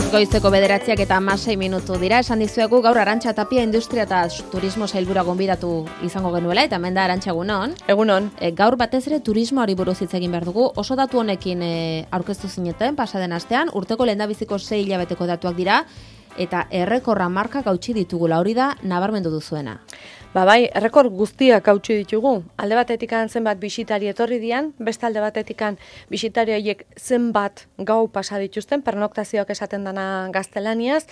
Goizeko 9:16 dira, esan dizuegu gaur Arantxa Tapia industria eta turismo sailburua gonbidatu izango genuela, eta hemen da Arantxa, egunon. Egunon. Gaur batez ere turismoari buruz hitz egin behar dugu. Oso datu honekin aurkeztu zineten pasaden astean, urteko lehendabiziko 6 hilabeteko datuak dira, eta errekorra markak hautsi ditugula, hori da nabarmendu duzuena. Bai, errekor guztiak hautsi ditugu. Alde batetikan zenbat bisitari etorri dian, beste alde batetikan bisitari horiek zenbat gau pasa dituzten, pernoktazioak esaten dana gaztelaniaz,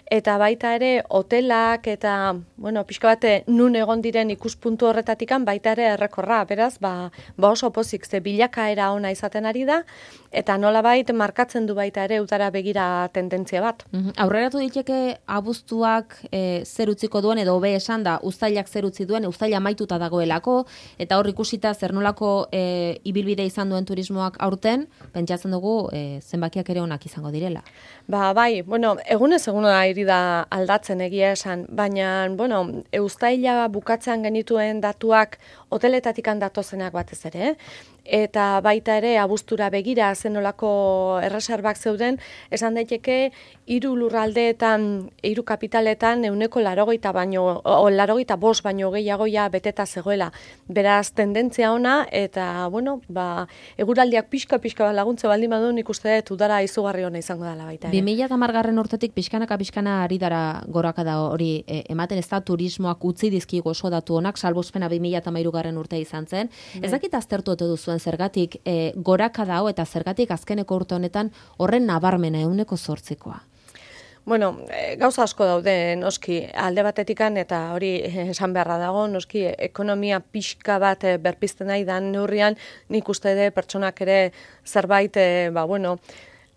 eta baita ere hotelak eta, pixka bate nun egon diren ikuspuntu horretatikan baita ere errekorra, beraz, oso pozik, ze bilakaera ona izaten ari da, eta nolabait markatzen du baita ere udara begira tendentzia bat. Aurreratu diteke abuztuak zer utziko duen, edo hobe esan da, uztailak zer utzi duen, uztaila amaituta dagoelako, eta hor ikusita zer nolako ibilbide izan duen turismoak aurten, pentsatzen dugu zenbakiak ere onak izango direla. Bai, egunez eguna iri da aldatzen egia esan, baina, uztaila bukatzean genituen datuak hoteletatik datozenak batez ere, eta baita ere abuztura begira zenolako erreserbak zeuden, esan daiteke 3 lurraldeetan, 3 kapitaletan 85 baino gehiagoia beteta zegoela. Beraz, tendentzia ona, eta, eguraldiak pixka laguntze baldin badu, nik uste dut udara izugarri ona izango dela baita. 2010 urtetik pixkanaka ari dara gorakada hori ematen, ez da turismoak utzi dizkigu oso datu honak, salbuespena 2013 urtea izan zen. Ez dakit aztertu ote duzuen zergatik gorakada hau eta zergatik azkeneko urte honetan horren nabarmena 8%. Gauza asko daude noski alde batetikan, eta hori esan beharra dago, noski ekonomia pixka bat berpizten nahi dan neurrian, nik uste de pertsonak ere zerbait,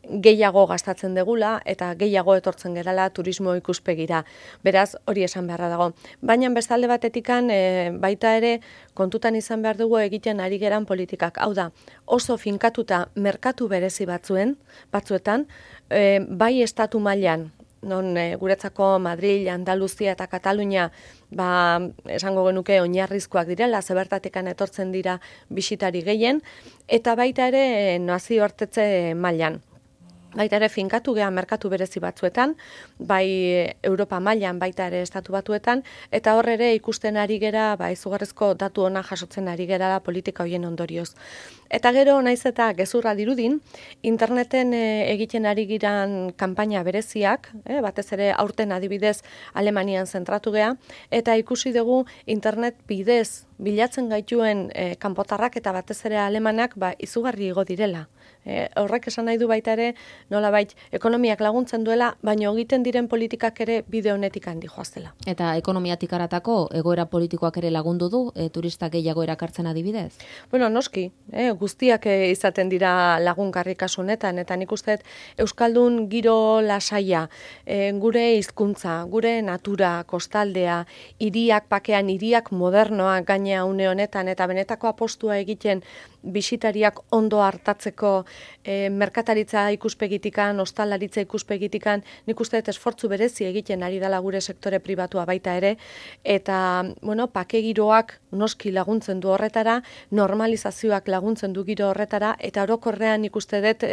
gehiago gastatzen degula eta gehiago etortzen gerala turismo ikuspegira. Beraz, hori esan beharra dago. Baina bestalde batetikan baita ere kontutan izan behar dugu egiten ari geran politikak. Hau da, oso finkatuta merkatu berezi batzuetan, bai estatu mailan, non guretzako Madrid, Andaluzia eta Katalunia esango genuke oinarrizkoak direla, zebertatekan etortzen dira bisitari gehien, eta baita ere nazioartetze mailan. Baita ere finkatu geha merkatu berezi batzuetan, bai Europa mailan, baita ere estatu batuetan, eta hor ere ikusten ari gera, izugarrizko datu ona jasotzen ari gera politika hoien ondorioz. Eta gero, naiz eta gezurra dirudin, interneten egiten ari giran kanpaina bereziak, batez ere aurten adibidez Alemanian zentratu geha, eta ikusi dugu internet bidez bilatzen gaituen kanpotarrak eta batez ere alemanak izugarri igo direla. Horrek esan nahi du baita ere, nolabait ekonomiak laguntzen duela, baina egiten diren politikak ere bide honetik handi joaztela. Eta ekonomiatik aratako egoera politikoak ere lagundu du, turistak gehiago erakartzen adibidez? Noski, guztiak izaten dira lagungarri kasu honetan, eta nik uste euskaldun giro lasaia, gure hizkuntza, gure natura, kostaldea, hiriak pakean, hiriak modernoak gainea une honetan, eta benetako apostua egiten bisitariak ondo hartatzeko merkataritza ikuspegitikan, ostalaritza ikuspegitikan, nik uste esfortzu berezi egiten ari dela gure sektore pribatua baita ere, eta, pake giroak noski laguntzen du horretara, normalizazioak laguntzen du giro horretara, eta orokorrean nik uste dut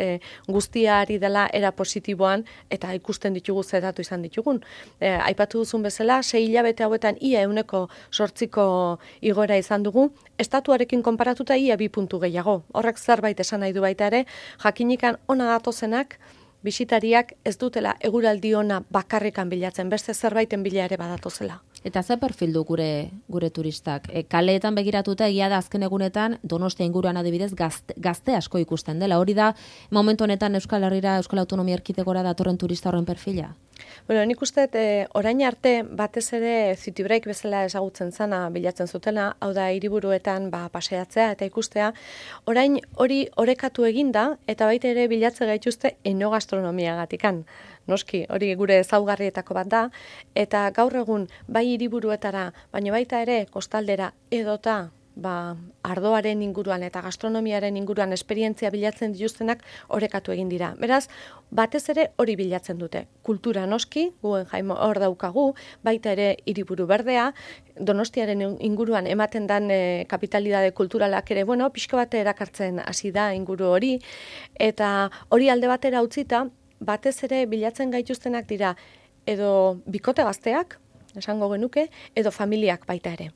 guztia ari dela era positiboan, eta ikusten ditugu zedatu izan ditugun. Aipatu duzun bezala, 6 hilabete hauetan ia 8% igoera izan dugu, estatuarekin konparatuta ia 2 puntu gehiago. Horrek zerbait esan nahi du baita ere, jakinikan ona datozenak, bisitariak ez dutela eguraldi ona bakarrikan bilatzen, beste zerbaiten bila ere badatozela. Eta ze perfil du gure turistak? Kaleetan begiratuta egia da azken egunetan Donostia inguruan adibidez gazte asko ikusten dela. Hori da momentu honetan Euskal Herrira, Euskal Autonomia Erkidegora datorren turista horren perfila? Nik uste orain arte batez ere city break bezala ezagutzen zana bilatzen zutela, hau da hiriburuetan paseatzea eta ikustea, orain hori orekatu eginda eta baita ere bilatze gaituzte enogastronomiagatikan. Noski, hori gure ezaugarrietako bat da, eta gaur egun bai hiriburuetara, baina baita ere kostaldera edota ardoaren inguruan eta gastronomiaren inguruan esperientzia bilatzen dituztenak orekatu egin dira. Beraz, batez ere hori bilatzen dute. Kultura noski, Guggenheim hor daukagu, baita ere hiriburu berdea, Donostiaren inguruan ematen dan kapitalidade kulturalak ere, pixko bat erakartzen hasi da inguru hori, eta hori alde batera utzita, batez ere bilatzen gaituztenak dira edo bikote gazteak, esango genuke, edo familiak baita ere.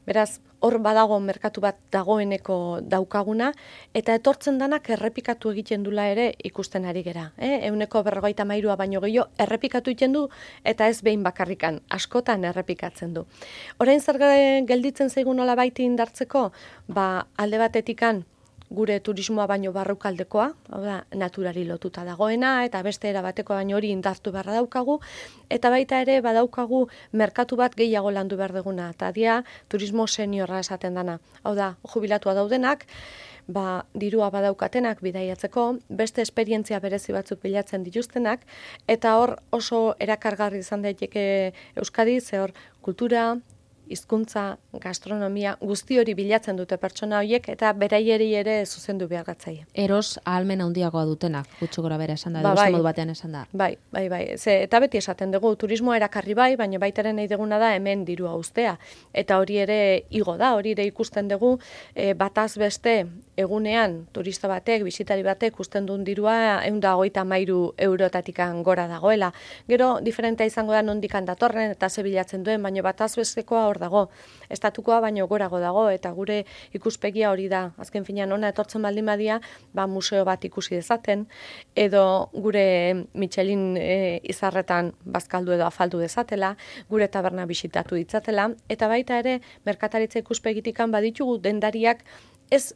Beraz, hor badago merkatu bat dagoeneko daukaguna, eta etortzen danak errepikatu egiten dula ere ikusten ari gera. 153 baino gehiago errepikatu egiten du, eta ez behin bakarrikan, askotan errepikatzen du. Orain zer gelditzen zaigun nolabait indartzeko, alde batetikan gure turismoa baino barrukaldekoa, hau da, naturari lotuta dagoena, eta beste erabateko baino hori indartu beharra daukagu, eta baita ere badaukagu merkatu bat gehiago landu behar duguna, eta dia turismo seniorra esaten dana. Hau da, jubilatua daudenak, dirua badaukatenak bidaiatzeko, beste esperientzia berezi batzuk bilatzen dituztenak, eta hor oso erakargarri izan daiteke Euskadi, ze hor kultura, hizkuntza, gastronomia, guzti hori bilatzen dute pertsona horiek eta beraieri ere zuzendu behar gatzaie. Eros ahalmen handiagoa dutenak, gutxi gora bera esan da, beste modu batean esan da. Bai. Eta beti esaten dugu, turismoa erakarri bai, baina baitaren nahi duguna da hemen dirua uztea. Eta hori ere igo da, hori ere ikusten dugu, bataz beste egunean turista batek, bisitari batek usten duen dirua 153 eurotatikan gora dagoela. Gero, diferentea izango da nondikan datorren eta ze bilatzen duen, baina bataz bestekoa hor dago. Estatukoa baino gorago dago eta gure ikuspegia hori da. Azken finean ona etortzen baldin badia, museo bat ikusi dezaten, edo gure Michelin izarretan bazkaldu edo afaldu dezatela, gure taberna bisitatu ditzatela, eta baita ere merkataritza ikuspegitikan baditugu dendariak ez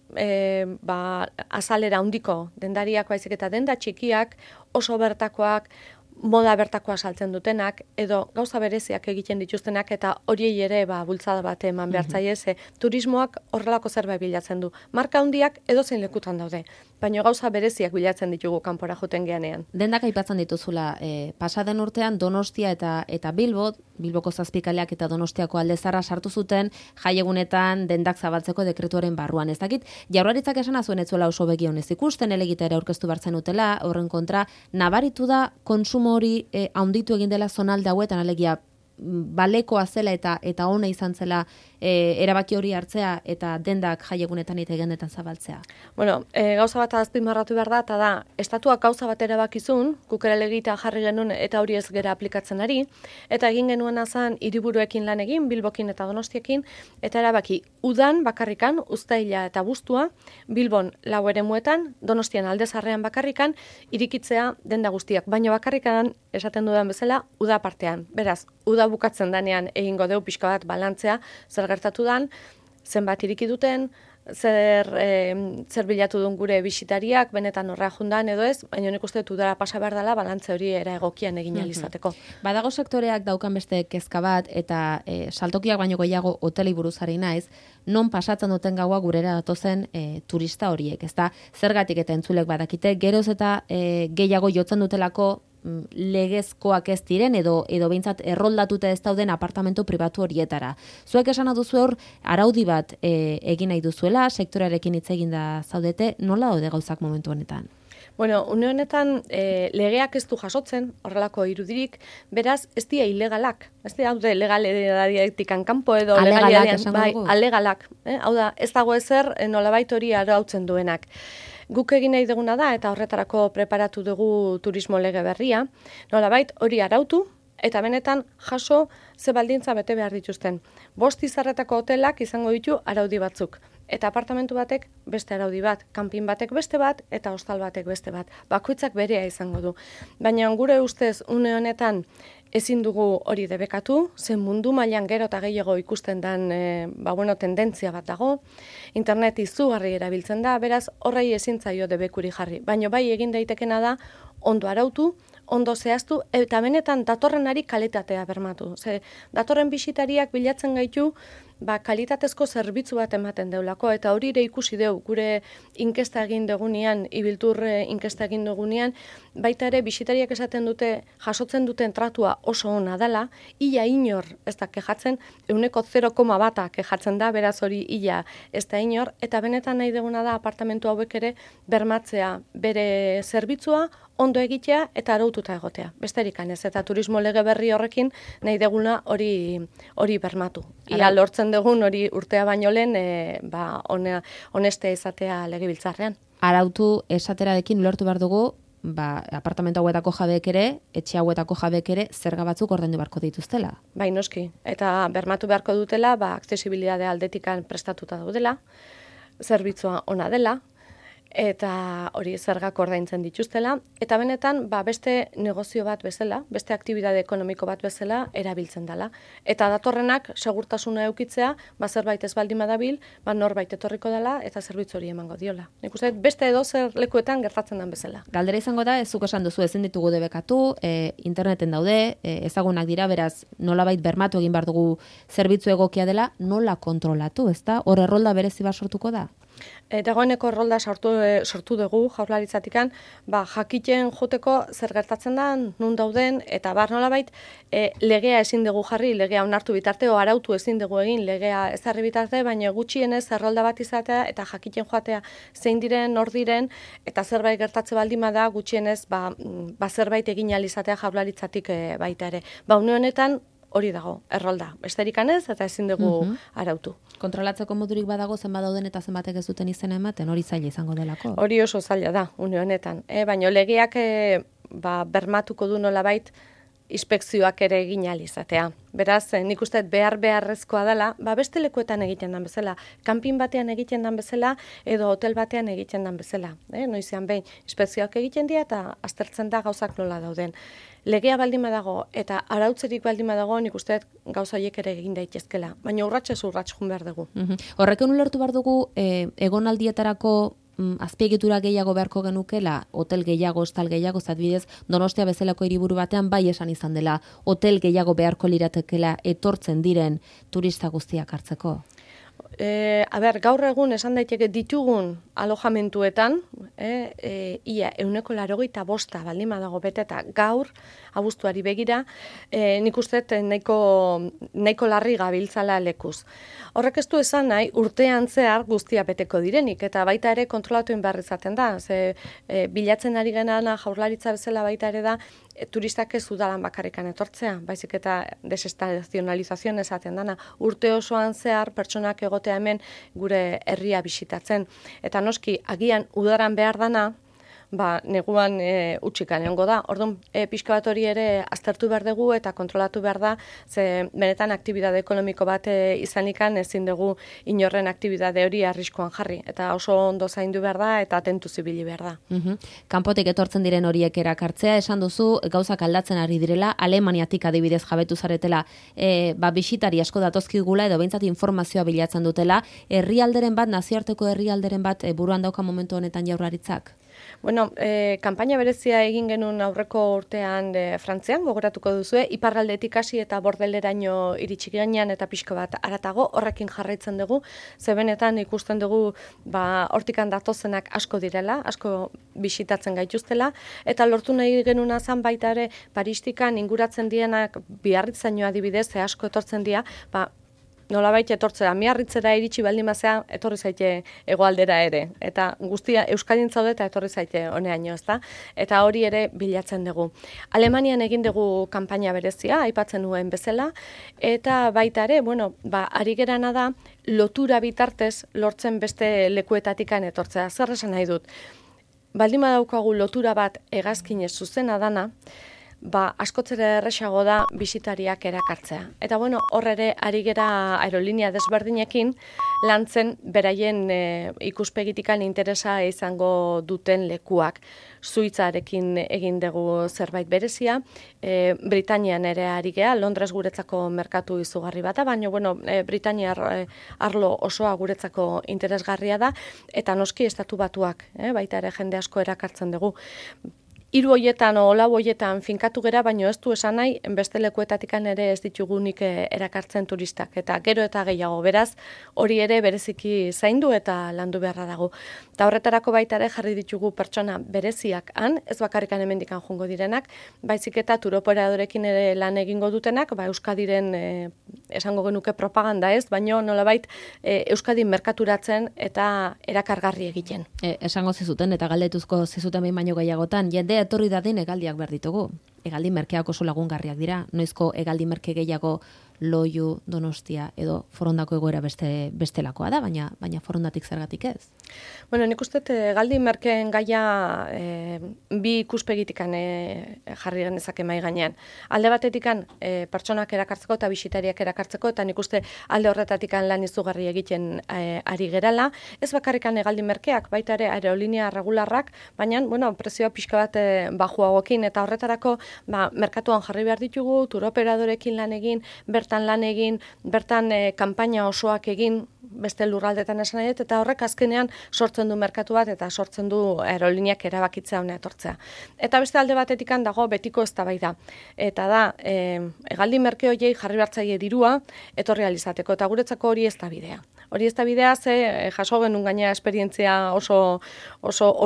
azalera handiko dendariak baizik eta denda txikiak, oso bertakoak, moda bertakoa saltzen dutenak, edo gauza bereziak egiten dituztenak, eta horiei ere bultzada bat eman behar zaie, turismoak horrelako zerbait bilatzen du. Marka handiak edozein lekutan daude, baina gauza bereziak bilatzen ditugu kanpora joten geanean. Dendak aipatzen dituzula, pasaden urtean Donostia eta Bilboko zazpikaleak eta Donostiako aldezarra sartu zuten jaiegunetan dendak zabaltzeko dekretuaren barruan. Ez dakit, Jaurlaritzak esan azuen ez zuela oso begi honez ikusten, elegita ere aurkeztu bartzen utela, horren kontra, nabaritu da konsumo hori handitu egin dela zonalde hauetan, alegia balekoa zela eta ona izan zela erabaki hori hartzea eta dendak jaiegunetan eta egendetan zabaltzea. Bueno, gauza bat azpimarratu behar da, eta da, estatuak gauza bat erabakizun, kukera legita jarri genuen eta hori ez gera aplikatzen ari, eta egin genuen azan hiriburuekin lan egin, Bilbokin eta Donostiekin, eta erabaki udan bakarrikan, uztaila eta abuztua, Bilbon 4 eremuetan, Donostian aldezarrean bakarrikan, irikitzea denda guztiak, baina bakarrikan esaten dudan bezala, uda partean. Beraz, uda bukatzen danean egingo deu pixka bat balantzea, zer gertatu dan, zenbat iriki duten, zer bilatu duen gure bisitariak, benetan horra jundan edo ez, baina nik uste udara pasa behar dela, balantze hori era egokian egin alizateko. Badago sektoreak daukan beste kezka bat, eta saltokiak baino gehiago hotelei buruz ari naiz, non pasatzen duten gaua gurera datozen turista horiek, ezta zergatik eta entzulek badakite, geroz eta gehiago jotzen dutelako legezkoak ez diren edo behintzat erroldatuta ez dauden apartamentu pribatu horietara. Zuek esan duzu hor araudi bat egin nahi duzuela, sektorearekin hitz egin da zaudete, nola daude gauzak momentu honetan? Bueno, une honetan legeak ez du jasotzen, horrelako irudirik, beraz ez dira ilegalak. Ez dira legalediatikan kanpo edo alegalak. Hau da, ez dago ezer nolabait hori arautzen duenak. Guk egin nahi duguna da, eta horretarako preparatu dugu turismo lege berria, nolabait hori arautu, eta benetan jaso ze baldintza bete behar dituzten. 5 izarretako hotelak izango ditu araudi batzuk. Eta apartamentu batek beste araudi bat, kanpin batek beste bat, eta hostal batek beste bat. Bakoitzak berea izango du. Baina gure ustez une honetan ezin dugu hori debekatu, zen mundu mailan gero eta gehiago ikusten den tendentzia bat dago, internet izugarri erabiltzen da, beraz horrei ezin zaio debekuri jarri. Baina bai egin daitekena da ondo arautu, ondo zehaztu, eta benetan datorrenari kalitatea bermatu. Datorren bisitariak bilatzen gaitu, kalitatezko zerbitzu bat ematen deulako, eta hori ere ikusi deu, gure inkesta egin dugunean, ibiltur inkesta egin dugunean, baita ere bisitariak esaten dute, jasotzen duten tratua oso ona dela, ia inor ez da kejatzen, 0,1 kejatzen da, beraz hori ia ez da inor, eta benetan nahi duguna da apartamentu hauek ere bermatzea bere zerbitzua, ondo egitea eta araututa egotea. Besterik ez, eta turismo lege berri horrekin nahi deguna hori bermatu. Ia lortzen dugun hori urtea baino lehen honestea izatea legebiltzarrean. Arautu esaterarekin lortu behar dugu, apartamentu hauetako jabeek ere, etxe hauetako jabeek ere, zerga batzuk ordaindu beharko dituztela. Bai, noski. Eta bermatu beharko dutela, aksesibilidade aldetikan prestatuta daudela, zerbitzua ona dela, eta hori zergak ordaintzen dituztela, eta benetan beste negozio bat bezala, beste aktibitate ekonomiko bat bezala erabiltzen dela. Eta datorrenak segurtasuna eukitzea, zerbait ez baldin badabil, norbait etorriko dela eta zerbitzu hori emango diola. Nik uste beste edozer lekuetan gertatzen den bezala. Galdera izango da, ez zuk esan duzu ezin ditugu debekatu, interneten daude, ezagunak dira, beraz nolabait bermatu egin behar dugu zerbitzu egokia dela, nola kontrolatu, ezta? Hor errolda berezi bat sortuko da? Dagoeneko errolda sortu dugu jaurlaritzatikan, jakiten joteko zer gertatzen da, nun dauden, eta nolabait legea ezin dugu jarri, legea onartu bitarte, o arautu ezin dugu egin, legea ezarri bitarte, baina gutxienez errolda bat izatea, eta jakiten joatea zein diren, nor diren, eta zerbait gertatze baldin bada, gutxienez zerbait egin ahal izatea jaurlaritzatik baita ere. Une honetan, hori dago, errolda. Besterik ez eta ezin dugu arautu. Kontrolatzeko modurik badago zenbat dauden eta zenbatek ez duten izena ematen, hori zaila izango delako? Hori oso zaila da, une honetan. Baina legeak bermatuko du nolabait inspekzioak ere egin ahal izatea. Beraz, nik uste beharrezkoa dela, beste lekuetan egiten den bezala, kanpin batean egiten den bezala, edo hotel batean egiten den bezala. Noizean behin, inspekzioak egiten dira eta aztertzen da gauzak nola dauden. Legea baldin badago eta arautzerik baldin badago, nik uste gauza horiek ere egin daitezkela. Baina urratsez jun behar dugu. Horrekin ulertu behar dugu, egonaldietarako azpiegitura gehiago beharko genukela, hotel gehiago, hostal gehiago, adibidez, Donostia bezalako hiriburu batean bai esan izan dela, hotel gehiago beharko liratekela etortzen diren turista guztiak hartzeko? Gaur egun esan daiteke ditugun alojamentuetan, ia 85% baldin badago beteta gaur, abuztuari begira, nik uste nahiko larri gabiltzala lekuz. Horrek ez du esan nahi, urtean zehar guztia beteko direnik, eta baita ere kontrolatuen behar izaten da. Bilatzen ari genana jaurlaritza bezala baita ere da, turistak ez udalan bakarrikan etortzea, baizik eta desestazionalizazioan esaten dana. Urte osoan zehar pertsonak egotea hemen gure herria bisitatzen. Eta noski, agian udaran behar dana, neguan utxikan egongo da. Orduan, pixka bat hori ere aztertu behar dugu eta kontrolatu behar da, ze benetan aktibitate ekonomiko bat izanikan ezin dugu inorren aktibitate hori arriskoan jarri. Eta oso ondo zaindu behar da eta atentu zibili behar da. Kanpotik etortzen diren horiek erakartzea, esan duzu, gauzak aldatzen ari direla, Alemaniatik adibidez jabetu zaretela, bisitari asko datozkigula edo behintzat informazioa bilatzen dutela, herrialderen bat, nazioarteko herrialderen bat buruan dauka momentu honetan jaurlaritzak? Bueno, kanpaina berezia egin genuen aurreko urtean Frantzian, gogoratuko duzue, iparraldetik hasi eta bordeleraino iritsi ginean eta pixko bat aratago, horrekin jarraitzen dugu, ze benetan ikusten dugu hortikan datozenak asko direla, asko bisitatzen gaituztela, eta lortu nahi genuna zan baita ere Paristikan inguratzen dienak Biarritzaino adibidez, asko etortzen dira, nolabait etortzera, Miarritzera iritsi baldin bazea, etorri zaite hegoaldera ere. Eta guztia Euskadin zaude eta etorri zaite honeaino, ezta? Eta hori ere bilatzen dugu. Alemanian egin dugu kanpaina berezia, aipatzen nuen bezala, eta baita ere, ari gerana da, lotura bitartez lortzen beste lekuetatikan etortzea. Zer esan nahi dut? Baldin badaukagu lotura bat hegazkinez zuzena dana, askotzera erresago da bisitariak erakartzea. Eta hor ere ari gera aerolinea desberdinekin lantzen beraien ikuspegitikan interesa izango duten lekuak. Suitzarekin egin dugu zerbait berezia, Britanian ere ari gea, Londres guretzako merkatu izugarri bata, baina Britaniar arlo osoa guretzako interesgarria da, eta noski estatu batuak, baita ere jende asko erakartzen dugu. 3 hoietan o 4 hoietan finkatu gera, baino ez du esan nahi, beste lekuetatikan ere ez ditugunik erakartzen turistak. Eta gero eta gehiago, beraz, hori ere bereziki zaindu eta landu beharra dago. Eta horretarako baita ere jarri ditugu pertsona bereziak han, ez bakarrikan hemendikan joango direnak, baizik eta turoperadorekin ere lan egingo dutenak, Euskadiren esango genuke propaganda ez, baino nolabait Euskadin merkaturatzen eta erakargarri egiten. Esango zizuten eta galdetuzko zizuten behin baino gehiagotan, jende etorri dadin hegaldiak behar ditugu. hegaldi merkeak oso lagungarriak dira. Noizko hegaldi merke gehiago Loiu, Donostia edo Forondako egoera bestelakoa da, baina Forondatik zergatik ez? Bueno, nik uste hegaldi merkeen gaia bi ikuspegitikan jarri genezake mahai gainean. Alde batetikan pertsonak erakartzeko eta bisitariak erakartzeko, eta nik uste alde horretatikan lan izugarri egiten ari gerala. Ez bakarrikan hegaldi merkeak, baita ere aerolinea regularrak, baina prezioa pixka bat bajuagokin, eta horretarako merkatuan jarri behar ditugu, turoperadorekin lan egin, bertan lan egin, bertan kanpaina osoak egin, beste lurraldetan esan nahi, eta horrek azkenean sortzen du merkatu bat eta sortzen du aeroliniak erabakitzea hona etortzea. Eta beste alde batetikan dago betiko eztabaida. Eta da, hegaldi merke horiei jarri hartzaile dirua etorri alizateko, eta guretzako hori ez da bidea. Hori ez da bidea, ze jaso genuen gaina esperientzia oso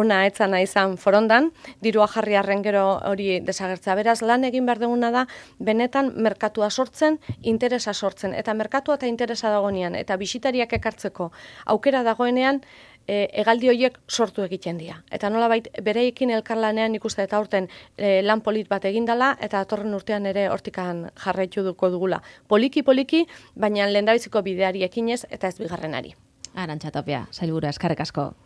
ona etzana izan Forondan, dirua jarri arren gero hori desagertzea. Beraz, lan egin behar duguna da, benetan merkatua sortzen, interesa sortzen, eta merkatua eta interesa dagoenean, eta bisitariak ekartzeko aukera dagoenean, hegaldi horiek sortu egiten dira. Eta nolabait bereekin elkarlanean ikuste eta aurten lan polit bat egindala, eta datorren urtean ere hortikan jarraitu dugula. Poliki, baina lehendabiziko bideari ekinez eta ez bigarrenari. Arantxa Tapia, sailburua, eskerrik asko.